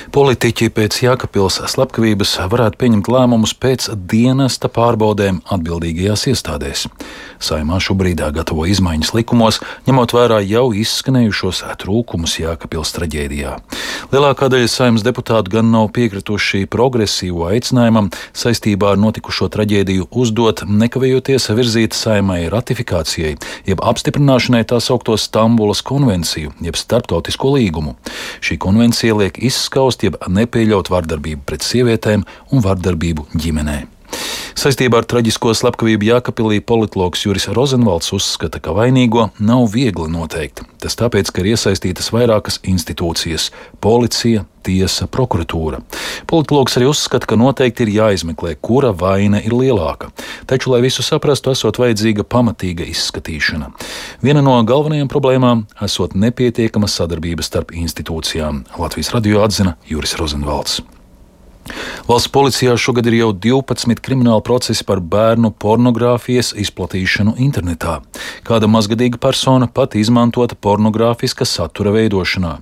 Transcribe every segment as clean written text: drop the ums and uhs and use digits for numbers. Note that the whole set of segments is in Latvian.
Politiķi pēc Jēkabpils slepkavības varētu pieņemt lēmumus pēc dienesta pārbaudēm atbildīgajās iestādēs. Saeimā šobrīd gatavo izmaiņas likumos, ņemot vērā jau izskanējušos trūkumus Jēkabpils traģēdijā. Lielākā daļa Saeimas deputātu gan nav piekrituši progresīvo aicinājumam saistībā ar notikušo traģēdiju uzdot, nekavējoties virzīt Saeimai ratifikācijai, jeb apstiprināšanai tā saukto Stambulas konvenciju, jeb starptautisko līgumu. Šī konvencija liek izskaust, jeb nepieļaut vardarbību pret sievietēm un vardarbību ģimenē. Saistībā ar traģisko slepkavību Jēkabpilī politologs Juris Rozenvalds uzskata, ka vainīgo nav viegli noteikt. Tas tāpēc, ka ir iesaistītas vairākas institūcijas – policija, tiesa, prokuratūra. Politologs arī uzskata, ka noteikti ir jāizmeklē, kura vaina ir lielāka. Taču, lai visu saprastu, esot vajadzīga pamatīga izskatīšana. Viena no galvenajām problēmām esot nepietiekama sadarbība starp institūcijām. Latvijas radio atzina Juris Rozenvalds. Valsts policijā šogad ir jau 12 krimināli procesi par bērnu pornogrāfijas izplatīšanu internetā. Kāda mazgadīga persona pat izmantota pornogrāfiska satura veidošanā.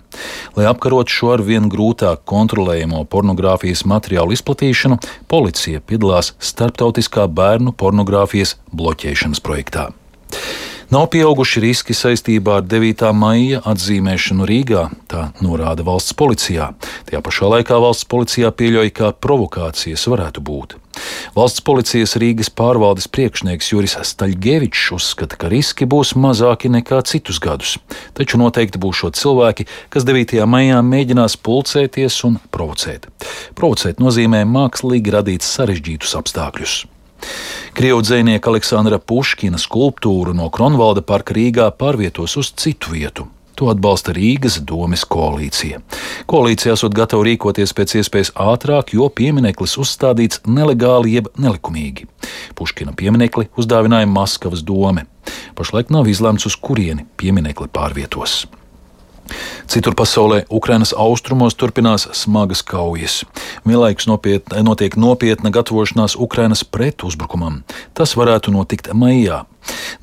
Lai apkarotu šo arvien grūtāk kontrolējamo pornogrāfijas materiālu izplatīšanu, policija piedalās starptautiskā bērnu pornogrāfijas bloķēšanas projektā. Nav pieauguši riski saistībā ar 9. maija atzīmēšanu Rīgā, tā norāda valsts policijā. Tajā pašā laikā valsts policijā pieļauj, ka provokācijas varētu būt. Valsts policijas Rīgas pārvaldes priekšnieks Juris Staļgevičs uzskata, ka riski būs mazāki nekā citus gadus. Taču noteikti būšot cilvēki, kas 9. maijā mēģinās pulcēties un provocēt. Provocēt nozīmē mākslīgi radīt sarežģītus apstākļus. Krievu dzejnieka Aleksandra Puškina skulptūru no Kronvalda parka Rīgā pārvietos uz citu vietu. To atbalsta Rīgas domes koalīcija. Koalīcija esot gatava rīkoties pēc iespējas ātrāk, jo piemineklis uzstādīts nelegāli jeb nelikumīgi. Puškina pieminekli uzdāvināja Maskavas dome. Pašlaik nav izlemts, uz kurieni pieminekli pārvietos. Citur pasaulē Ukrainas austrumos turpinās smagas kaujas. Vienlaikus notiek nopietna gatavošanās Ukrainas pretuzbrukumam. Tas varētu notikt maijā.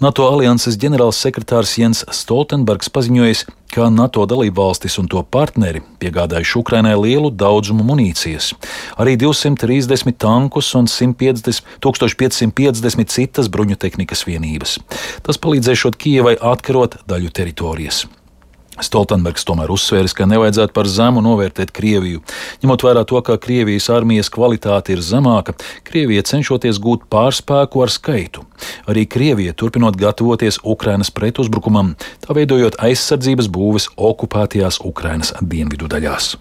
NATO alianses ģenerālsekretārs Jens Stoltenbergs paziņojis, ka NATO dalībvalstis un to partneri piegādājuši Ukrainai lielu daudzumu munīcijas, arī 230 tankus un 1550 citas bruņutehnikas vienības. Tas palīdzēšot Kijevai atkarot daļu teritorijas. Stoltenbergs tomēr uzsvēris, ka nevajadzētu par zemu novērtēt Krieviju. Ņemot vērā to, ka Krievijas armijas kvalitāte ir zemāka, Krievija cenšoties gūt pārspēku ar skaitu. Arī Krievija turpinot gatavoties Ukrainas pretuzbrukumam, tā veidojot aizsardzības būves okupētajās Ukrainas dienvidu daļās.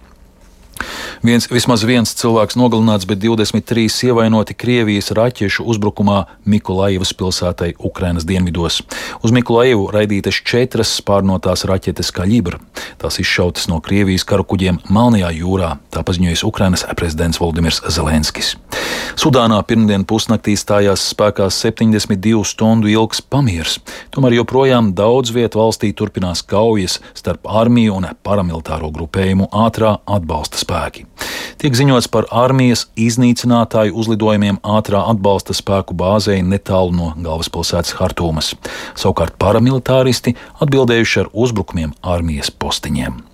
Vismaz viens cilvēks nogalināts, bet 23 ievainoti Krievijas raķešu uzbrukumā Mikolajevas pilsētai Ukrainas dienvidos. Uz Mikolajevu raidītas 4 spārnotās raķetes Kaļibra. Tās izšautas no Krievijas karukuģiem Melnajā jūrā, tā paziņojis Ukrainas prezidents Volodimirs Zelenskis. Sudānā pirmdien pusnaktī stājās spēkā 72 stundu ilgs pamiers. Tomēr joprojām daudz vietu valstī turpinās kaujas starp armiju un paramilitāro grupējumu ātrā atbalsta spēki. Tiek ziņots par armijas iznīcinātāju uzlidojumiem ātrā atbalsta spēku bāzei netālu no galvaspilsētas Hartūmas. Savukārt paramilitāristi atbildējuši ar uzbrukumiem armijas postiņiem.